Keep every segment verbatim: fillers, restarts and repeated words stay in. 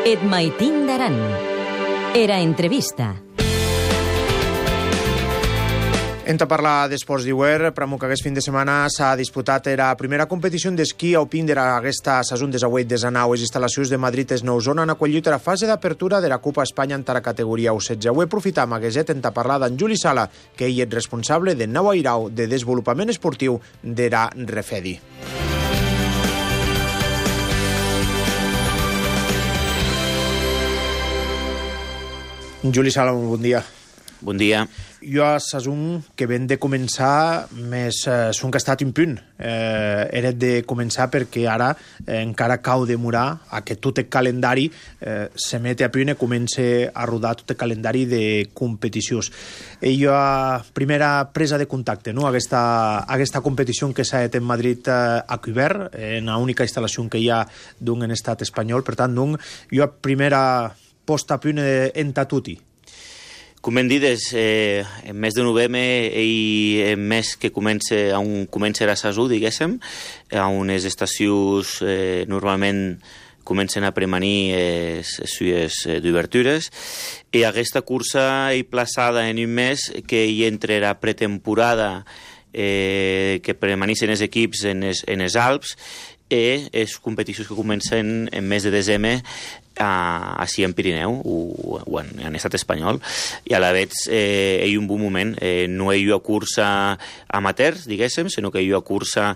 Et maitin d'aran. Era entrevista. Entra a parlar d'esports d'Iuer, pramo que aquest fin de setmana s'ha disputat la primera competició d'esquí alpin de aquesta sason desauet de Zanau. Les instal·lacions de Madrid es nou zona han acollit la fase d'apertura de la Copa Espanya en la categoria U setze. Avui aprofitam aquest entra a parlar d'en Juli Sala, que ell és responsable de nou airau de desenvolupament esportiu de la Refedi. Juli Sala, bon dia. Bon dia. Jo a Sasun, que ben de començar, més eh, son que ha estat un punt. Eh, era de començar perquè ara eh, encara cau demorar a que tot el calendari eh, se mete a punt i comença a rodar tot el calendari de competicions. I jo a primera presa de contacte, no? aquesta, aquesta competició que s'ha fet en Madrid eh, a Cuber, en l'única instal·lació que hi ha d'un en estat espanyol. Per tant, d'un, jo a primera posta a punt en Tatuti. Com hem dit, és, eh, en mes de novembre i en mes que comença, on comença la saison, diguéssim, on les estacions eh, normalment comencen a premanir les sues d'obertures, i aquesta cursa és plaçada en un mes que hi entre la pretemporada eh, que premanissin els equips en els, en els Alps i les competicions que comencen en mes de desembre a, a en Pirineu o, o en, en estat espanyol, i a la vegada eh, hi ha un bon moment. Eh, no hi ha cursa amateurs, diguéssim, sinó que hi ha cursa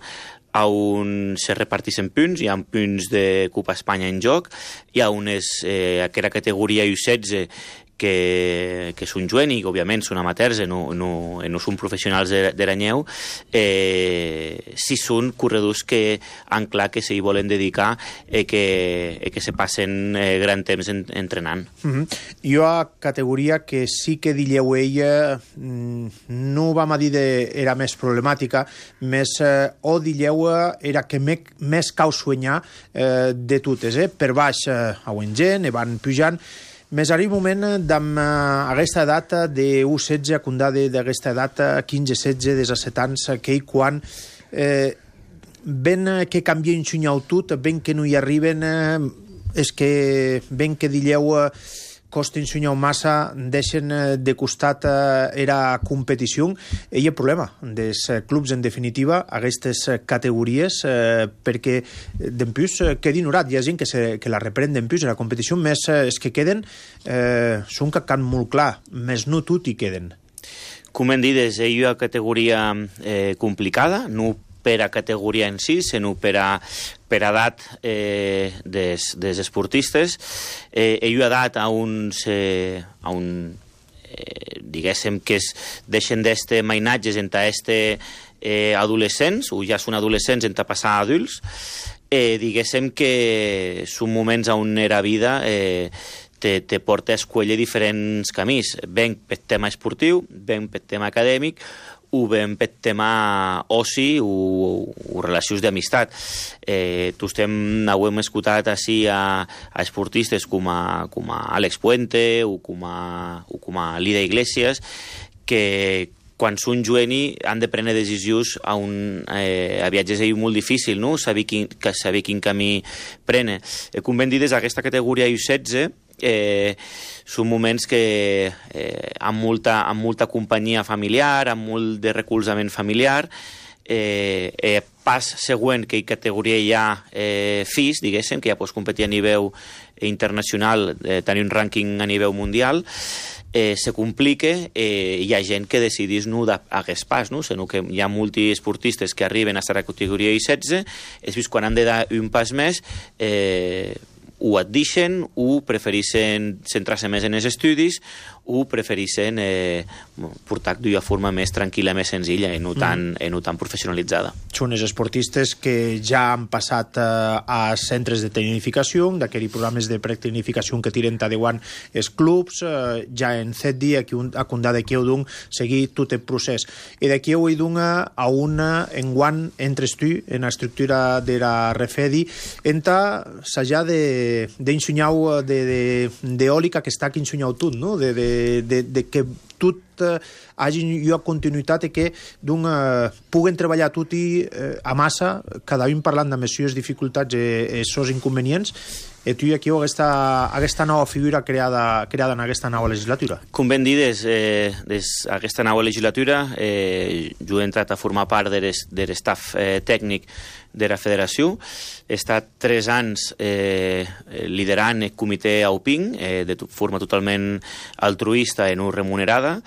on se reparteixen punts, hi ha punts de Copa Espanya en joc, hi ha unes, eh, aquella categoria U setze que, que són jovents i que òbviament són amateurs i no, no, no són professionals de, de l'anyeu, eh, si són corredors que han clar que s'hi volen dedicar i que, i que se passen eh, gran temps en, entrenant. Mm-hmm. Jo a categoria que sí que dilleu ella no vam a dir de, era més problemàtica, més eh, o dilleu era que me, més cau suenyar eh, de totes, eh? Per baix eh, a gent, i van pujant. Més arriba un moment d'amb aquesta data de U setze a condada d'aquesta data quinze setze, disset anys, que quan eh, ben que canvien xunyau tot, ben que no hi arriben, eh, és que ben que dilleu eh, costen xunyau massa, deixen eh, de costat eh, era competició. I el problema dels clubs, en definitiva, aquestes categories, eh, perquè d'en plus eh, quedin horat. Hi ha gent que, se, que la reprèn d'en plus, la competició més eh, és que queden, eh, són que can molt clar, més no tot hi queden. Com hem dit, és una categoria eh, complicada, no per a categoria en si, sinó per a, per a edat eh, des, des esportistes. Eh, ell ha edat a uns, eh, a un, eh, diguéssim, que es deixen d'este mainatges entre este eh, adolescents, o ja són adolescents entre passar a adults, eh, diguéssim que són moments on era vida eh, te, te porta a escollir diferents camins, ben per tema esportiu, ben per tema acadèmic, o ben per tema oci o, o relacions d'amistat. Eh, tu estem, ho hem escoltat així a, a esportistes com a, com a Àlex Puente o com a, o com a Lida Iglesias, que quan són jovents han de prendre decisions a, un, eh, a viatges és molt difícil, no? Saber quin, que saber quin camí prene. Eh, com ben dit, des d'aquesta categoria U setze, Eh, són moments que eh, amb, molta, amb molta companyia familiar, amb molt de recolzament familiar, eh, eh, pas següent que hi categoria hi ha eh, FIS, diguéssim, que ja pots competir a nivell internacional, eh, tenir un rànquing a nivell mundial, eh, se complica, eh, hi ha gent que decidís no d'aquest pas, no? Sinó que hi ha multiesportistes que arriben a la categoria U setze, és vist quan han de dar un pas més, eh, o et deixen, o prefereixen centrar-se més en els estudis, o prefereixen eh, portar d'una forma més tranquil·la, més senzilla i no tan, mm. i no tan professionalitzada. Són els esportistes que ja han passat eh, a centres de tecnificació, d'aquells programes de pretecnificació que tiren tadeuant els clubs, eh, ja en set dies a condar d'aquí ho d'un seguir tot el procés. I d'aquí ho d'un a una enguant entre tu en l'estructura de la Refedi, entra s'ha de d'ensenyar d'eòlica que està aquí ensenyau tot, no? De, de, de, de que tot eh, hagi jo continuïtat i que d'un, eh, puguen treballar tutti eh, a massa, cada un parlant de les seves dificultats i els seus inconvenients, i tu aquí aquesta, aquesta nova figura creada, creada en aquesta nova legislatura. Com ben dir, des, eh, des aquesta nova legislatura eh, jo he entrat a formar part de l'estaf eh, tècnic de la federació. He estat tres anys eh, liderant el comitè AUPINC eh, de forma totalment altruista i no remunerada.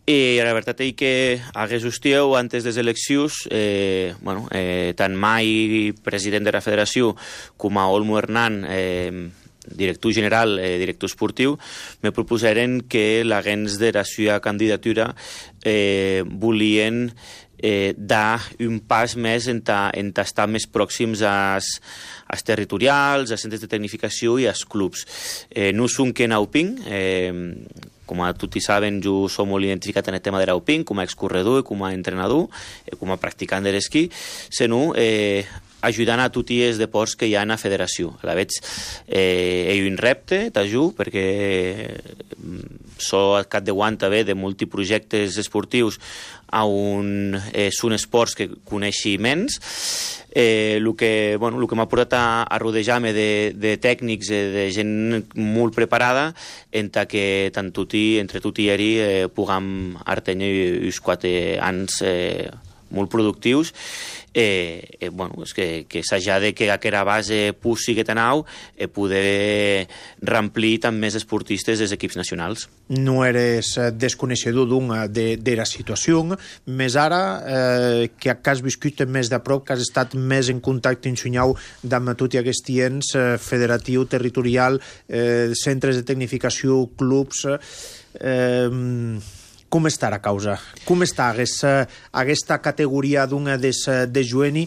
I la veritat és que hagués hostieu antes de les eleccions, eh, bueno, eh, tant mai president de la federació com a Olmo Hernán, eh, director general, eh, director esportiu, me proposaren que la gens de la seva candidatura eh, volien eh, dar un pas més en, ta, en ta estar més pròxims als, als territorials, als centres de tecnificació i als clubs. Eh, no som que en AUPINC, eh, com a tots saben, jo som molt identificat en el tema de l'AUPINC, com a excorredor, com a entrenador, com a practicant de l'esquí, sinó eh, ajudant a tots els deports que hi ha en la federació. A la veig, eh, hi ha un repte, t'ajudo, perquè soc al capdavant també de multiprojectes esportius on eh, són esports que coneixi menys. Eh, el que, bueno, el que m'ha portat a, a rodejar-me de, de tècnics, eh, de gent molt preparada, enta que tant tuti, entre tot i eri eh, puguem artenir uns quatre anys eh, molt productius. Eh, eh, bueno, és que, que s'haja de que aquesta base pussi que tenau eh, poder remplir també més esportistes dels equips nacionals. No eres desconeixedor d'una de, de la situació, més ara eh, que has viscut més de prop, que has estat més en contacte ensunyau amb tot i aquest ens eh, federatiu, territorial, eh, centres de tecnificació, clubs... Eh, com està la causa? Com està aquesta, aquesta categoria d'una des, de jueni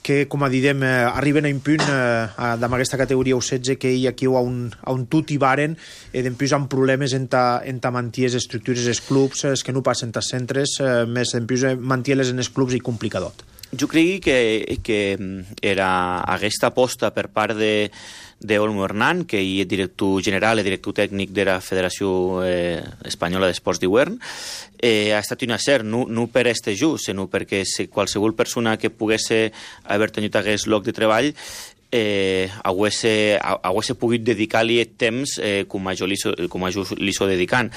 que, com a direm, arriben a un punt eh, amb aquesta categoria U setze que hi aquí a un, a un tot hi varen i després amb problemes en ta, en ta mantir les estructures dels clubs, es que no passen als centres, eh, més en plus mantir-les en els clubs i complicadot. Jo crec que, que era aquesta aposta per part de d'Olmo Hernán, que hi és director general i director tècnic de la Federació eh, Espanyola d'Esports d'Hivern, eh, ha estat un acert, no, no per este just, sinó perquè si qualsevol persona que pogués haver tenit aquest lloc de treball eh, hagués pogut dedicar-li el temps eh, com a jo li so dedicant.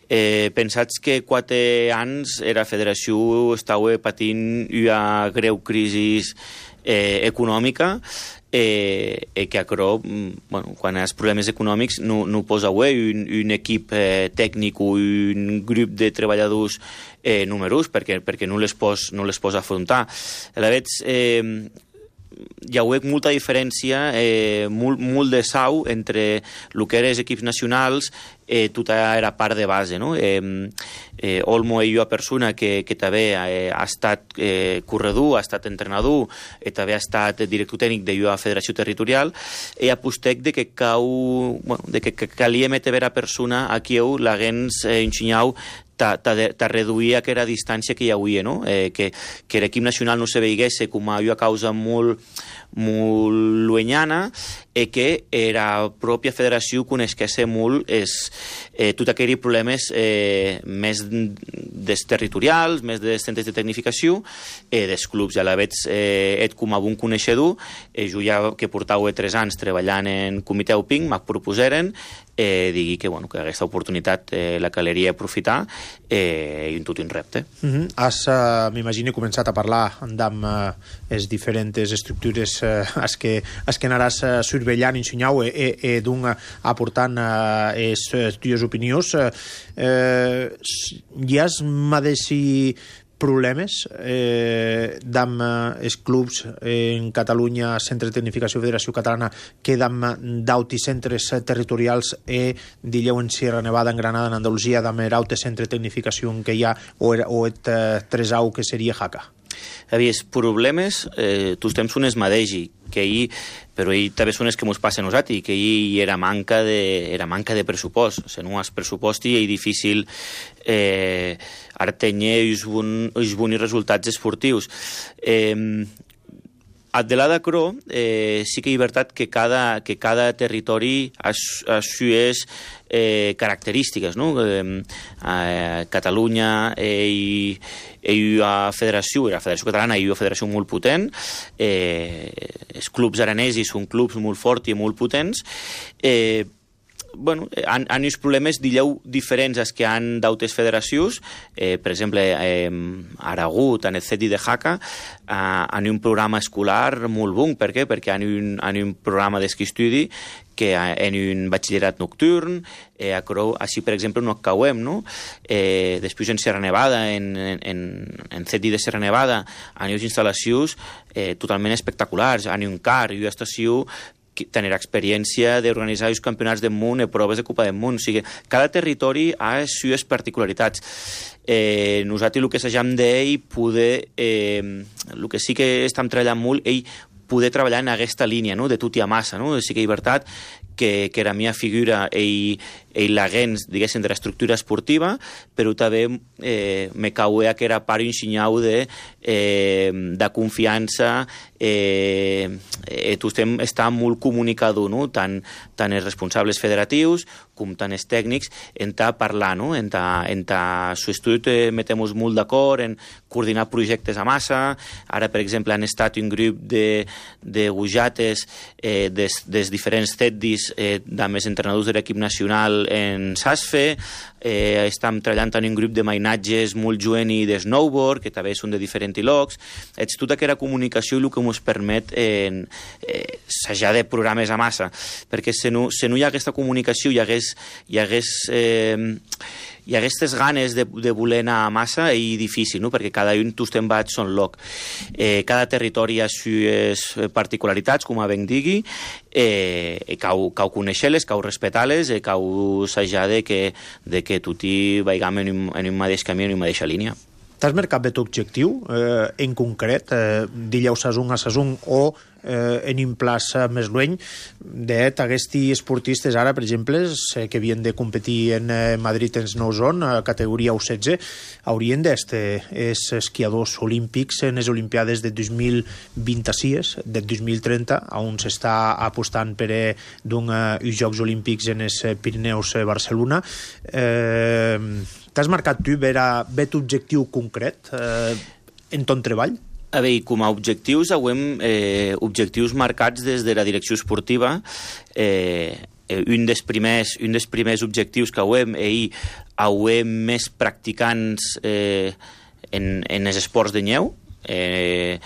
Eh, pensats que quatre anys la federació estava patint una greu crisi eh, econòmica, eh, eh, que acro, bueno, quan hi ha problemes econòmics no, no posa away un, un equip eh, tècnic o un grup de treballadors eh, numerós perquè, perquè no les pos, no les pos afrontar. A la vegada, eh, hi ha molta diferència, eh, molt, molt de sau entre el que eren els equips nacionals, eh, tota era part de base, no? Eh, eh, Olmo és una persona que, que també eh, ha estat eh, corredor, ha estat entrenador, eh, també ha estat director tècnic de la federació territorial, i apostec de que cau, bueno, de que, que calia metre vera persona aquí la gens eh, enxinyau ta reduir aquella distància que hi havia, no? Eh, que, que l'equip nacional no se veigués com a una causa molt, molt llunyana i que la pròpia federació coneixés molt és, eh, tots aquells problemes eh, més des territorials, més dels centres de tecnificació, eh, dels clubs. A la vegada, eh, et com a bon coneixedor, eh, jo ja que portava tres anys treballant en comitè AUPINC, m'ha proposeren eh, digui que, bueno, que aquesta oportunitat eh, la caleria aprofitar eh, i un tot un repte. Mm-hmm. Has, uh, m'imagino, començat a parlar amb uh, les diferents estructures uh, as que, as que anaràs uh, surveillant, ensenyau i, i, i d'un uh, aportant uh, les uh, teves opinions. Uh, uh, hi has madeixi problemes eh, d'amb els clubs en Catalunya, Centre de Tecnificació Federació Catalana, que d'amb d'auti centres territorials e dilleu en Sierra Nevada, en Granada, en Andalusia, d'amb l'aute centre de tecnificació que hi ha o, o et eh, tresau que seria Jaca? Avies, problemes, eh, tots temps són es madegi, que hi, però hi també són els que ens passen a nosaltres, que hi era manca de, era manca de pressupost. O sigui, no has pressupost i és difícil eh, artenyer els bons resultats esportius. Eh, de la d'acro, eh, sí que hi ha veritat que cada, que cada territori ha, ha sues eh, característiques, no? Eh, a Catalunya eh, hi, hi ha federació, la Federació Catalana hi ha federació molt potent, eh, els clubs aranesis són clubs molt forts i molt potents, eh, bueno, han, han uns problemes, dilleu, diferents als que han d'altres federacions. Eh, per exemple, eh, Aragó, tant el C E T I de Jaca, eh, han un programa escolar molt bon. Per què? Perquè han un, han un programa d'esquí estudi que en un batxillerat nocturn, eh, així, per exemple, no acabem, no? Eh, després en Serra Nevada, en, en, en C E T I de Serra Nevada, han unes instal·lacions eh, totalment espectaculars, han un car i una estació tenir experiència d'organitzar els campionats del món i proves de Copa del Món. O sigui, cada territori ha les seves particularitats. Eh, nosaltres el que s'agam d'ell poder... Eh, el que sí que estem treballant molt, ell poder treballar en aquesta línia, no?, de tot i a massa, no? Sí que és veritat que, que la meva figura ell, ell l'agents, diguéssim, de l'estructura esportiva, però també eh, me cauea que era part ensenyau de, eh, de confiança, eh, eh, tu estem, està molt comunicador, no?, tant, tant els responsables federatius com tant els tècnics, en ta parlar, no?, en ta, en ta su estudi eh, metem molt d'acord en coordinar projectes a massa. Ara, per exemple, han estat un grup de, de gujates eh, des, des diferents C E T Is eh, amb els entrenadors de l'equip nacional en Sasfe, eh, estem treballant en un grup de mainatges molt jovent i de snowboard, que també són de diferents llocs. És tota aquella comunicació i el que ens permet eh, eh, assajar de programes a massa, perquè si no, si no hi ha aquesta comunicació, hi hagués, hi hagués eh, hi ha aquestes ganes de, de voler anar a massa i difícil, no?, perquè cada un tu te'n vaig son lloc. Eh, cada territori ha les particularitats, com a ben digui, eh, cau, cau conèixer-les, cau respectar-les, eh, cau assajar de que, de que tutti vaigam en un, en un mateix camí, en una mateixa línia. T'has marcat bé objectiu, eh, en concret, eh, dilleu sasung a sasung o eh, en un plaç més lluny, d'aquests esportistes ara, per exemple, que havien de competir en eh, Madrid en Snow Zone, a categoria U setze, haurien d'estar els esquiadors olímpics en les Olimpiades de dos mil vint-i-sis, de dos mil trenta, on s'està apostant per eh, uns Jocs Olímpics en els Pirineus a Barcelona. Eh, T'has marcat tu bet objectiu concret eh, en ton treball? A veure, com a objectius, hem eh, objectius marcats des de la direcció esportiva. Eh, un, dels primers, un dels primers objectius que hem, ell, hem més practicants eh, en, en els esports de neu. Eh,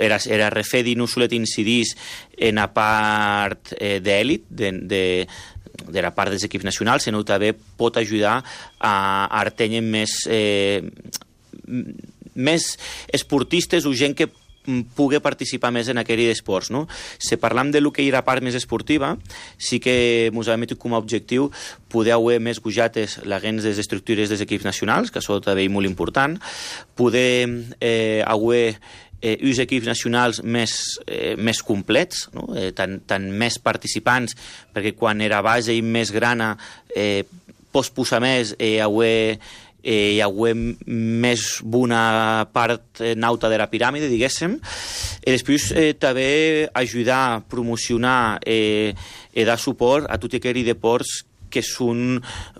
era, era refedi no solet incidís en la part eh, d'èlit, de, de de la part dels equips nacionals, sinó també pot ajudar a, a tenir més, eh, més esportistes o gent que pugui participar més en aquell d'esports, no? Si parlam de lo que hi ha la part més esportiva, sí que ens hem metit com a objectiu poder haver més gujates l'agents de les estructures dels equips nacionals, que això també és molt important, poder eh, haver Eh, uns equips nacionals més, eh, més complets, no? eh, tant, tant més participants, perquè quan era base i més grana eh, pots posar més eh, haver, eh, hi haver més bona part eh, nauta de la piràmide, diguéssim, i després eh, també ajudar a promocionar eh, i dar suport a tot aquell deports que són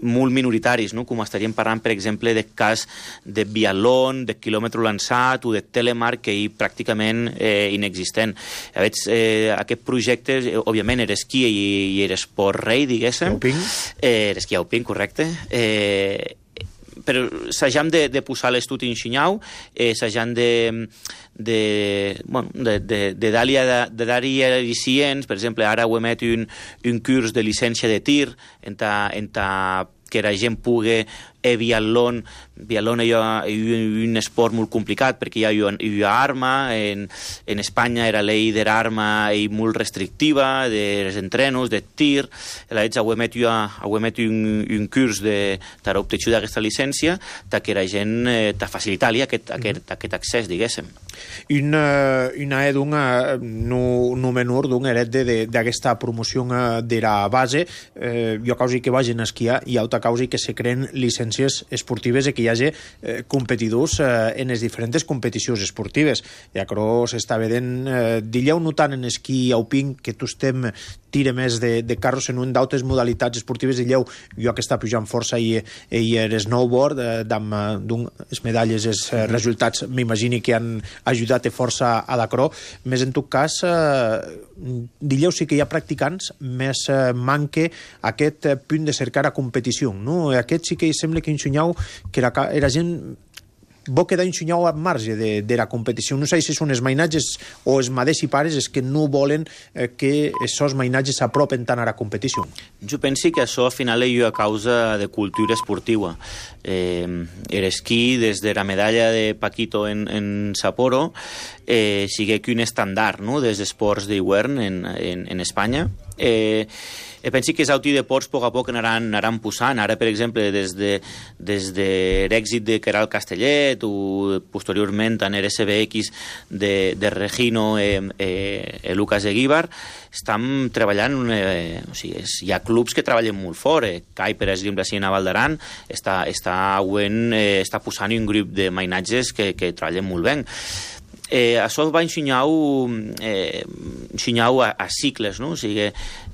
molt minoritaris, no? Com estaríem parlant, per exemple, del cas de biatlon, de quilòmetre lançat o de telemark, que és pràcticament eh, inexistent. A veure, eh, aquest projecte, eh, òbviament, era esquí i, i era esport rei, diguéssim. Alpin. Eh, era esquí alpin, correcte. Eh, però s'hagam de, de posar l'estudi en xinyau, eh, s'hagam de, de, bueno, de, de, de dar-hi de dar al·licients. Per exemple, ara ho emet un, un curs de llicència de tir en ta, en ta, que la gent pugui eh, biatlon. Biatlon és un esport molt complicat perquè hi ha, hi ha arma. En, en Espanya era llei de l'arma i molt restrictiva, dels entrenos, de tir. Llavors, ho emet, ho emet un, un curs de l'obtenció d'aquesta llicència que la gent eh, t'ha facilitat aquest, aquest, aquest accés, diguéssim. Una, una edunga no, no menor d'un heret d'aquesta promoció de la base, eh, jo causi que vagin a esquiar i altra causi que se creen llicències competències esportives i que hi hagi eh, competidors eh, en les diferents competicions esportives. I acro s'està vedent, eh, dilleu no tant en esquí alpin, que tu estem tira més de, de carros en un d'altres modalitats esportives, dilleu jo que està pujant força i, i el snowboard, eh, amb les medalles, els eh, resultats m'imagini que han ajudat força a l'acro, més en tot cas eh, dilleu sí que hi ha practicants, més eh, manque aquest eh, punt de cercar a competició, no? Aquest sí que sembla que ensenyau que era, era gent bo quedar ensenyau al marge de, de la competició. No sé si són els mainatges o els maders i pares els que no volen eh, que aquests mainatges s'apropen tant a la competició. Jo penso que això al final és a causa de cultura esportiva. Eh, L'esquí, des de la medalla de Paquito en, en Sapporo, eh, sigue que un estàndard, no?, dels esports d'hivern en, en, en Espanya. Eh, E penso que els autodeports a poc a poc anaran, anaran posant. Ara, per exemple, des de, des de l'èxit de Queralt Castellet o posteriorment en l'R S B X de, de Regino i eh, eh, Lucas Eguíbar, estan treballant, eh, o sigui, és, hi ha clubs que treballen molt fort. Eh. Cai, per exemple, a Val d'Aran, està, està, eh, està posant un grup de mainatges que, que treballen molt bé. Eh, això va ensenyar-ho eh, ensenyar a, a cicles, no? O sigui,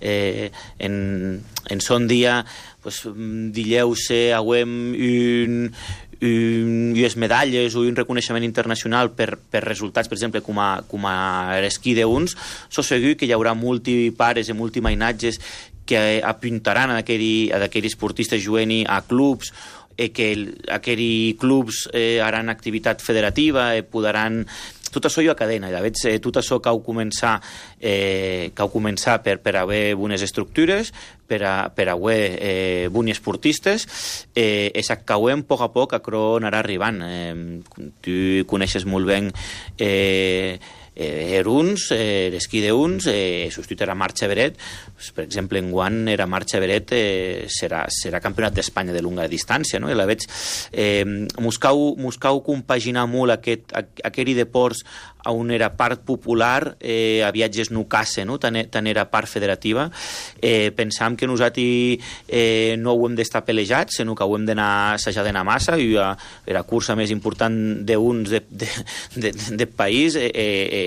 eh, en, en son dia pues, dilleu-se auem un, un, unes medalles o un reconeixement internacional per, per resultats, per exemple, com a, com a l'esquí d'uns, so segur que hi haurà multipares i multimainatges que apuntaran a aquells esportistes jugant a clubs i que aquells clubs eh, haran activitat federativa i podran... Tot això hi ha cadena, ja veig, eh, tot això que heu començat, eh, que heu començat per, per haver bones estructures, per, a, per haver eh, bons esportistes, eh, és que ho hem a poc a poc a cro anar arribant. Eh, tu coneixes molt bé eh, eh, Eruns, eh, l'esquí d'Uns, eh, substituir a Marc Xaveret, pues, per exemple, en Guant era Marc Xaveret, eh, serà, serà campionat d'Espanya de longa distància, no? I la veig, eh, buscau, buscau compaginar molt aquest, aquell deports on era part popular, eh, a viatges no casse, no? Tant, tant era part federativa. Eh, pensam que nosaltres eh, no ho hem d'estar pelejats, sinó que ho hem d'anar assajant d'anar massa, i la, la cursa més important d'uns de, de, de, de país, eh, eh,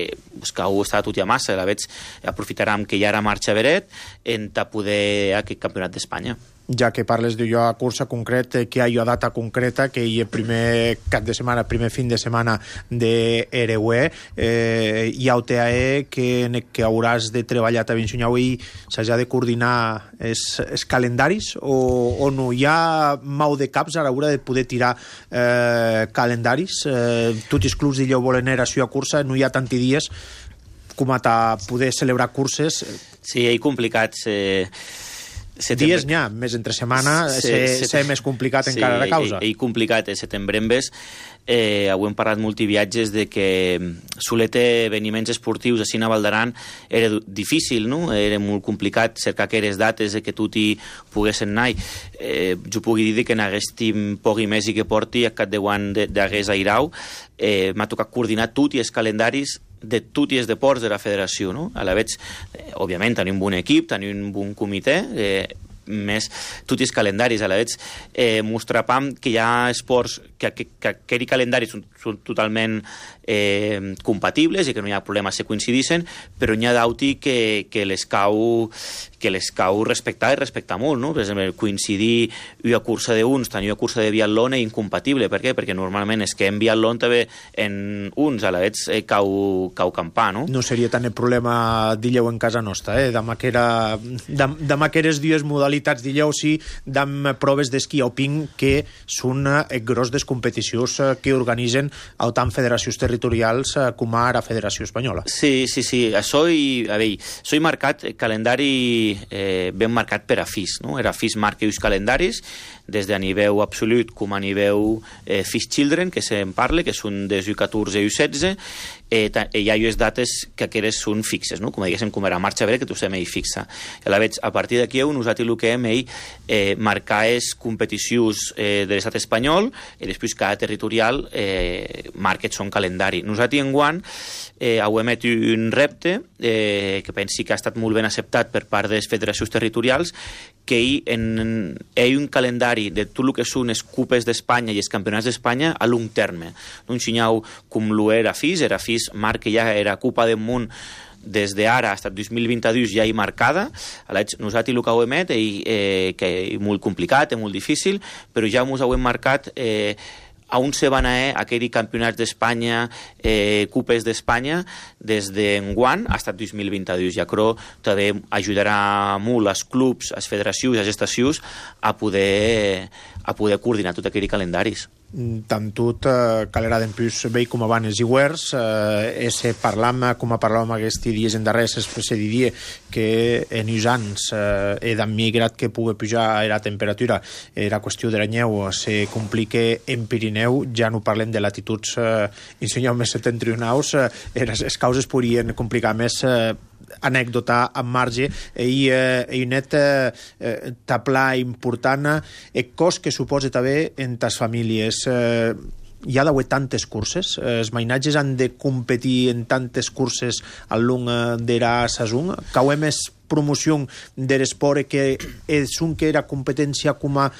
que ho està tot i a massa, la veig, aprofitarem que ja era Marc Xaveret en ta poder aquest campionat d'Espanya. Ja que parles d'allò a cursa concret, que hi ha data concreta, que hi ha primer cap de setmana, primer fin de setmana de R U E, eh, hi ha O T A E que, que hauràs de treballar també ensenyar i s'ha de coordinar els, els calendaris o, o no? Hi ha mau de caps a l'hora de poder tirar eh, calendaris. Eh, tots els clubs d'Illeu volen anar a la cursa, no hi ha tanti dies com a poder celebrar curses. Sí, és complicat. Eh... Setembre... Dies n'hi ha, més entre setmana, sí, ser, ser més complicat sí, encara la causa. Sí, és complicat. El setembre en ves, eh, avui hem parlat multiviatges de que soler eveniments esportius a Val d'Aran era difícil, no? Era molt complicat cercar aquelles dates de que tu t'hi poguessin anar. Eh, jo puc dir que n'haguéssim poc i més i que porti a cap de guant d'hagués a Irau. Eh, m'ha tocat coordinar tot i els calendaris de tots els deports de la federació, no? A la veig, eh, òbviament, tenim un bon equip, tenim un bon comitè, eh, més tots els calendaris, a la veig, eh, mostrapam que hi ha esports que, que, que aquells calendaris són, són totalment eh, compatibles i que no hi ha problema si coincidissin, però n'hi ha d'auti que, que les cau que les cau respectar i respectar molt, no? Per exemple, coincidir una cursa d'uns, tenir una cursa de biatlon és incompatible. Per què? Perquè normalment és que en biatlon també en uns a la vegada eh, cau, cau campar, no? No seria tant el problema d'Illeu en casa nostra, eh? Demà que era demà que eres dues modalitats d'Illeu, sí, d'am proves d'esquí alpin que són eh, gros des competicions eh, que organitzen tant federacions territorials eh, com ara Federació Espanyola. Sí, sí, sí. Això i, a veure, això hi marcat calendari eh, ben marcat per a F I S, no? Era F I S marca els calendaris des de a nivell absolut com a nivell eh, F I S Children, que se'n parla, que són des u catorze i u setze, eh, hi ha unes dates que aqueres són fixes, no? Com diguéssim, com era marxa vera, que tu sem ell fixa. I la veig, a partir d'aquí, nosaltres el que hem ell eh, marcar és competicions eh, de l'estat espanyol i després cada territorial eh, marca son calendari. Nosaltres en guant eh, heu emet un repte eh, que pensi que ha estat molt ben acceptat per part de les federacions territorials, que hi en, hi ha un calendari de tot el que són les cupes d'Espanya i els campionats d'Espanya a long terme. Un xinyau com l'U era FIS, era FIS marca ja era Copa del Món des d'ara fins al dos mil vint-dos ja hi marcada. Nosaltres el que ho emet eh, que és molt complicat, és molt difícil, però ja ens ho hem marcat eh, a on se van a aquells campionats d'Espanya, eh, cupes d'Espanya, des d'enguant fins al dos mil vint-dos. Ja crec que també ajudarà molt als clubs, als federacions, als estacions a poder, a poder coordinar tots aquells calendaris. Tant tot eh, calera d'en plus veig com abans i guers eh, se parlam, com a parlàvem aquests dies en darrers, se diria que en uns anys eh, he d'emmigrat que pugui pujar la temperatura, era qüestió de la neu, se complica en Pirineu, ja no parlem de latituds eh, insenyeu més septentrionals, eh, les causes podrien complicar més eh, anècdota en marge i eh, net eh, taplar important el cost que suposa també en les famílies. Eh, hi ha d'haver tantes curses, eh, els mainatges han de competir en tantes curses al long de la saison, que ho hem és promoció de l'esport que és un que era competència com a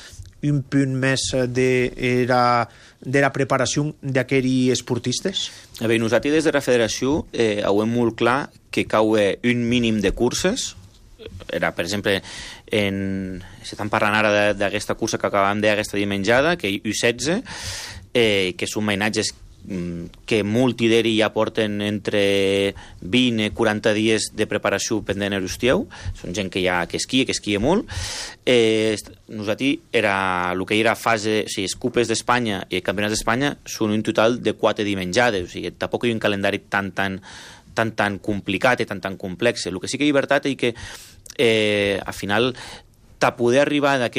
un punt més de la, de la preparació d'aquells esportistes? A veure, nosaltres des de la federació eh, ho hem molt clar que cau un mínim de curses. Era, per exemple, en... s'estan parlant ara d'aquesta cursa que acabem de aquesta dimenjada, que hi ha U setze, eh, que són mainatges que molti d'ells ja porten entre vint i quaranta dies de preparació pendent a l'estiu. Són gent que ja que esquia, que esquia molt. Eh, nosaltres, era, el que era fase, o sigui, les cupes d'Espanya i els campionats d'Espanya són un total de quatre dimenjades, o sigui, tampoc hi ha un calendari tan, tan, tan, tan complicat i tan, tan complex. El que sí que hi ha llibertat és que, eh, al final, de poder arribar a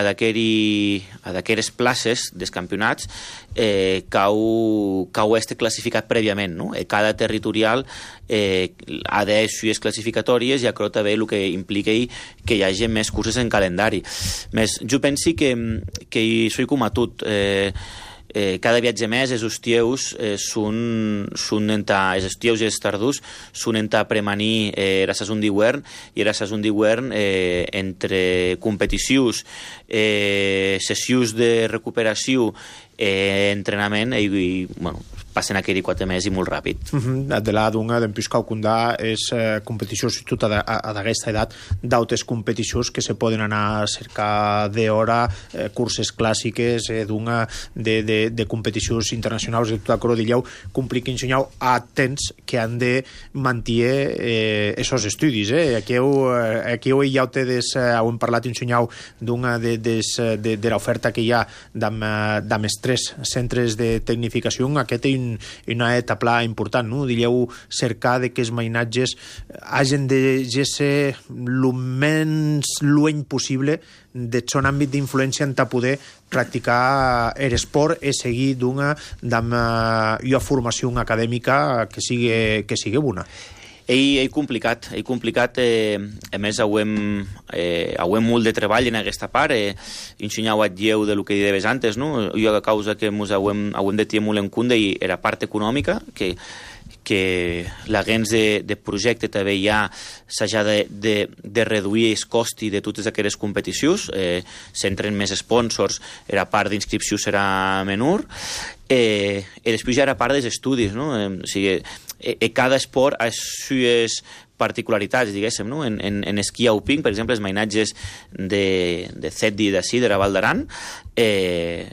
d'aquelles places dels campionats eh, cau, cau este classificat prèviament, no? Eh, cada territorial eh, ha de suies classificatòries i acrota bé el que implica que hi hagi més curses en calendari. Més, jo penso que, que soy com a tot, eh, Eh, cada viatge més, els estius eh, són, són enta, els estius i els tardus són enta premanir eh, la saison d'hivern i la saison d'hivern eh, entre competicions, eh, sessions de recuperació, eh, entrenament i, i bueno, passen aquells quatre mesos i molt ràpid. Uh-huh. De la d'una d'en Piscau Condà és eh, competició, sobretot a, a, a d'aquesta edat, d'altres competicions que se poden anar a cercar d'hora, eh, curses clàssiques, eh, d'una de, de, de competicions internacionals de tota coro d'illeu, compliquin senyau a temps que han de mantenir eh, esos estudis. Eh? Aquí heu, aquí heu ja ho tedes, eh, heu parlat en senyau d'una de, de, de, de l'oferta que hi ha d'amb, d'amb els tres centres de tecnificació. Aquest és una etapa important, no? Digueu, cercar de que els mainatges hagin de ser el menys lluny possible del seu àmbit d'influència en poder practicar l'esport i seguir d'una una formació acadèmica que sigui, que sigui bona. Ell és complicat, és complicat, eh, a més ho hem, eh, ho hem molt de treball en aquesta part, eh, ensenyau a lleu de lo que deies antes, no? Jo a causa que ens ho hem, ho hem de tenir molt en compte i era part econòmica, que que l'agents de, de projecte també ja s'ha de, de, de reduir els costos de totes aquelles competicions, eh, s'entren més sponsors, la part d'inscripció serà menor, eh, i després ja era part dels estudis, no? Eh, o sigui, eh, cada esport ha sues particularitats, diguéssim, no? En, en, en esquí alpin, per exemple, els mainatges de, de Ceddi i d'ací, de la Val d'Aran, eh,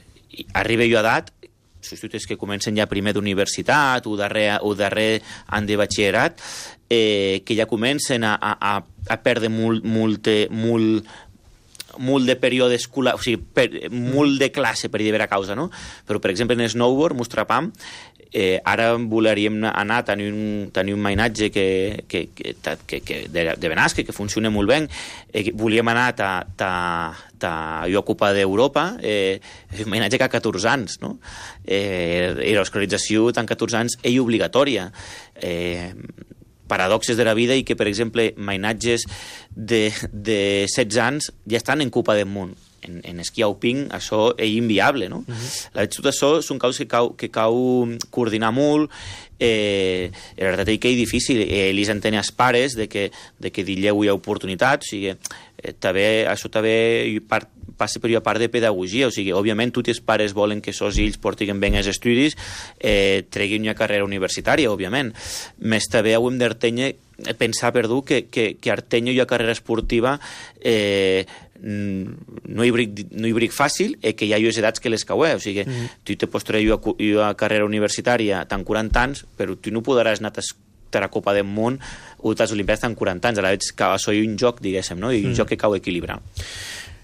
arriba jo a edat, substituts que comencen ja primer d'universitat o darrer, o darrer any de batxillerat, eh, que ja comencen a, a, a perdre molt, molt, molt, molt de període escolar, o sigui, per, molt de classe per dir vera causa, no? Però, per exemple, en snowboard, mostrapam, Eh, ara voleríem anar a tenir un, tenir un mainatge que, que, que, que, que de, de Benasque, que funciona molt bé. Eh, volíem anar a, a, a la Copa d'Europa, eh, un mainatge que ha catorze anys, no? Eh, I l'escolarització tant catorze anys és obligatòria. Eh, paradoxes de la vida i que, per exemple, mainatges de, de setze anys ja estan en Copa del Món. En, en esquí alpin això és inviable, no? Uh-huh. La veritat, això són coses que cau, que cau coordinar molt. Eh, la veritat és que és difícil. Eh, li s'entén als pares de que, de que dilleu hi ha oportunitat, o sigui, eh, també, això també part, passa per una part de pedagogia, o sigui, òbviament tots els pares volen que els fills portin bé els estudis, eh, treguin una carrera universitària, òbviament. Més també hem d'artenyer pensar, perdó, que, que, que artenyo una carrera esportiva eh, no hi bric, no hi bric fàcil i que hi ha les edats que les caueu, o sigui, mm. tu te pots treure una, una carrera universitària tant quaranta anys, però tu no podràs anar a la Copa del Món o a les Olimpiades tant quaranta anys, a la vegada que això és un joc, diguéssim, no? I un mm. joc que cau equilibrar.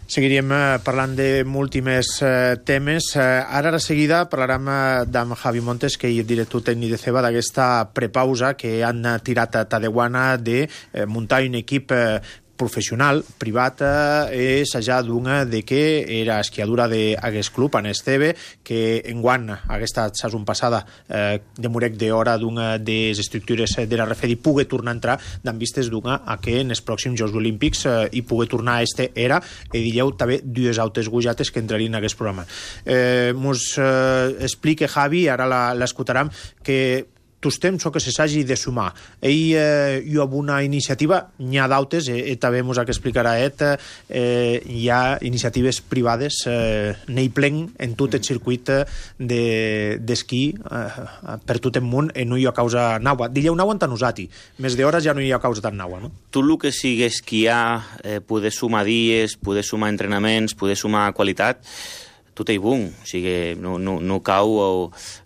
Seguiríem eh, parlant de múltimes eh, temes. Eh, ara, a seguida, parlarem eh, d'en Javi Montes, que és director tècnic de Ceba, d'aquesta prepausa que han tirat a Tadewana de eh, muntar un equip eh, professional, privat, eh, és ja d'una de que era esquiadura d'aquest club, en Esteve, que enguany aquesta saison passada eh, de Murec d'hora d'una de les estructures de la Refedi pugui tornar a entrar d'en vistes d'una a que en els pròxims Jocs Olímpics eh, hi pugui tornar a este era i dilleu també dues altres gujates que entrarien en aquest programa. Eh, mos eh, explique Javi, ara l'escoltarem, que tus temps o que se s'hagi de sumar. Ell eh, hi ha una iniciativa, n'hi ha d'altres, eh, també mos ha que explicarà et, eh, hi ha iniciatives privades, eh, n'hi plen en tot el circuit d'esquí de, eh, per tot el món, i no hi ha causa naua. Dilleu naua en Tanusati, més d'hores ja no hi ha causa tan naua, no? Tot el que sigui esquiar, eh, poder sumar dies, poder sumar entrenaments, poder sumar qualitat, tot és bon, o sigui, no, no, no cau o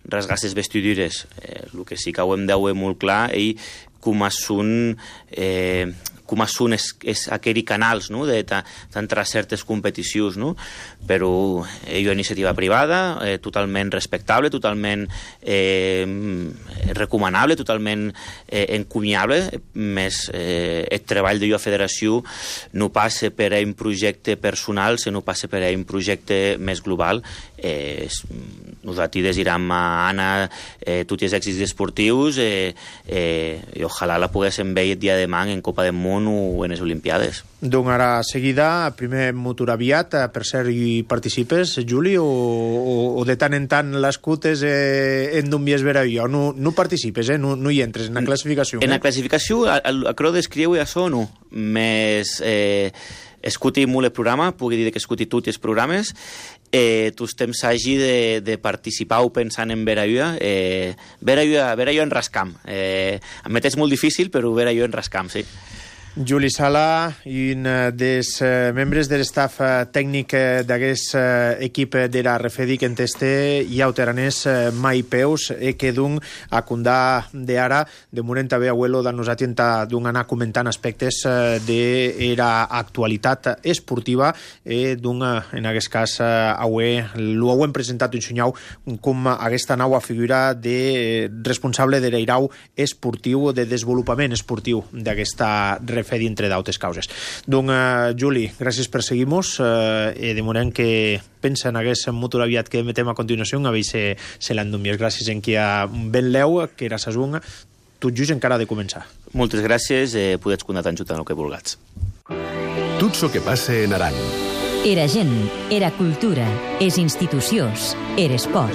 rasgar les vestidures. Eh, el que sí que ho hem de veure molt clar és com són eh, com són és, és aquells canals, no?, d'entrar a certes competicions, no? Però és una iniciativa privada, eh, totalment respectable, totalment eh, recomanable, totalment eh, encomiable, més eh, el treball de la federació no passa per a un projecte personal, sinó passa per a un projecte més global. Eh, nosaltres desirem a Anna eh, tots els èxits esportius eh, eh, i ojalà la poguéssim veure el dia de demà en Copa del Món o en les Olimpiades. Doncs ara seguida, primer motor aviat, per ser hi participes, Juli, o, o, o de tant en tant l'escutes eh, en d'un vies vera jo? No, no participes, eh? no, no hi entres en la classificació. En eh? la classificació, a, a creu d'escriure això no, més eh, escuti molt el programa, pugui dir que escuti tots els programes, eh, tu temps hagi de, de participar o pensant en Veraia, eh, Veraia, Veraia en rascam. Eh, admet és molt difícil, però Veraia en rascam, sí. Juli Sala, un dels membres de l'estaf tècnic d'aquest equip de la Refedi que enteste i autoranès mai peus e que d'un a condà d'ara de moment també abuelo de nosaltres d'un anar comentant aspectes de la actualitat esportiva e d'un en aquest cas avui ho hem presentat un senyau com aquesta nova figura de responsable de l'airau esportiu, de desenvolupament esportiu d'aquesta Refedi Refedi, entre d'altres causes. Doncs, uh, Juli, gràcies per seguir-nos uh, i de moment que pensa en aquest motor aviat que metem a continuació, a veure se, se l'endúmies. Gràcies en qui ha ben leu, que era sa zunga, tot just encara de començar. Moltes gràcies, eh, podets comptar tant en el que vulguis. Tot el que passa en Aran. Era gent, era cultura, és institucions, era esport.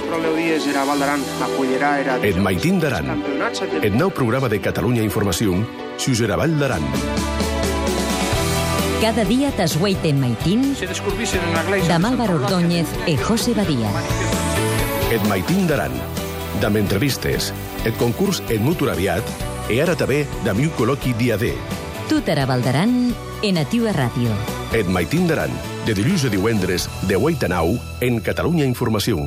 Era Val d'Aran, acollirà, era... Et Maitín d'Aran. Et nou programa de Catalunya Informació, sus era Val d'Aran. Cada dia t'esgueiten Maitín, de Álvaro Ordóñez e José Badía. Et Maitín d'Aran, d'am entrevistes, et concurs et motor aviat, e ara també d'am iu col·loqui dia D. Tot era Val d'Aran, en Ativa Ràdio. Et Maitín d'Aran, de dilluns a divendres, de vuit a nou, en Catalunya Informació.